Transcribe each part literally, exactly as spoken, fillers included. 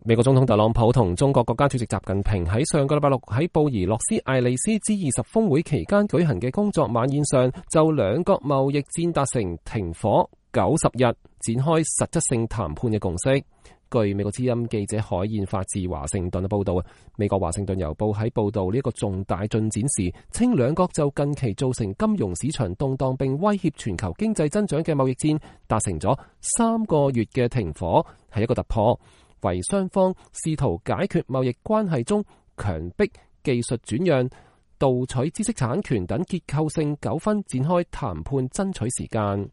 美國總統特朗普同中國國家主席習近平喺上個禮拜六喺布宜諾斯艾利斯 G 二十峰會期間舉行嘅工作晚宴上，就兩國貿易戰達成停火九十日，展開實質性談判嘅共識。據美國之音記者海燕發自華盛頓嘅報道，美國華盛頓郵報喺報道呢一個重大進展時，稱兩國就近期造成金融市場動盪並威脅全球經濟增長嘅貿易戰達成咗三個月嘅停火，係一個突破，為雙方試圖解決貿易關係中強迫技術轉讓、盜取知識產權等結構性糾紛展開談判爭取時間。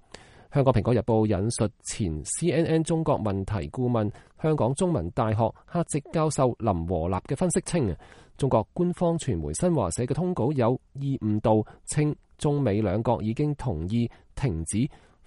香港蘋果日報引述前 C N N 中國問題顧問、香港中文大學客席教授林和立嘅分析稱，中國官方傳媒新華社嘅通稿有意誤導，稱中美兩國已經同意停止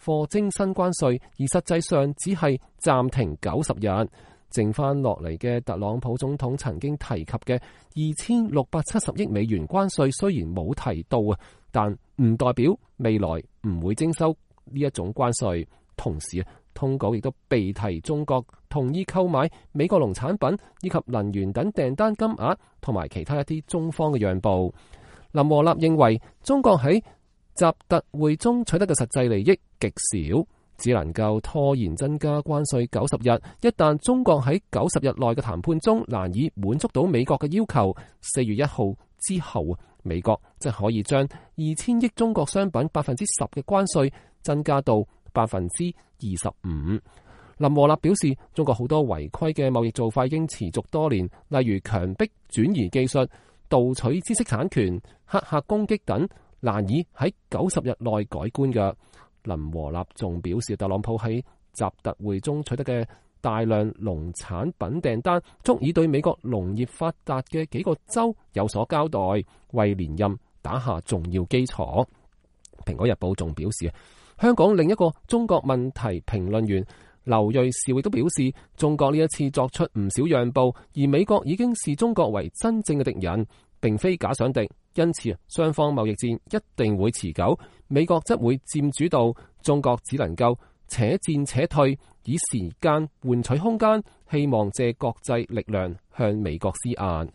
課徵新關稅，而實際上只係暫停九十日。剩翻落嚟嘅特朗普總統曾經提及嘅二千六百七十億美元關稅，雖然冇提到啊，但唔代表未來唔會徵收呢一種關稅。同時啊，通稿亦都被提中國同意購買美國農產品以及能源等訂單金額，同埋其他一啲中方嘅讓步。林和立認為中國喺習特會中取得嘅實際利益極少，只能夠拖延增加關稅九十日。一旦中國喺九十日內嘅談判中難以滿足到美國嘅要求，四月一號之後，美國即可以將二千億中國商品百分之十嘅關稅增加到百分之二十五。林和立表示，中國好多違規嘅貿易做法已經持續多年，例如強迫轉移技術、盜取知識產權、黑客攻擊等，難以喺九十日內改觀嘅。林和立仲表示，特朗普喺習特會中取得嘅大量農產品訂單，足以對美國農業發達嘅幾個州有所交代，為連任打下重要基礎。蘋果日報仲表示，香港另一個中國問題評論員劉銳紹亦都表示，中國呢一次作出唔少讓步，而美國已經視中國為真正嘅敵人，並非假想敵，因此雙方貿易戰一定會持久，美國則會佔主導，中國只能夠且戰且退，以時間換取空間，希望借國際力量向美國施壓。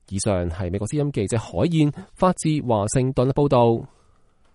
以上係美國之音記者海燕發自華盛頓嘅報道。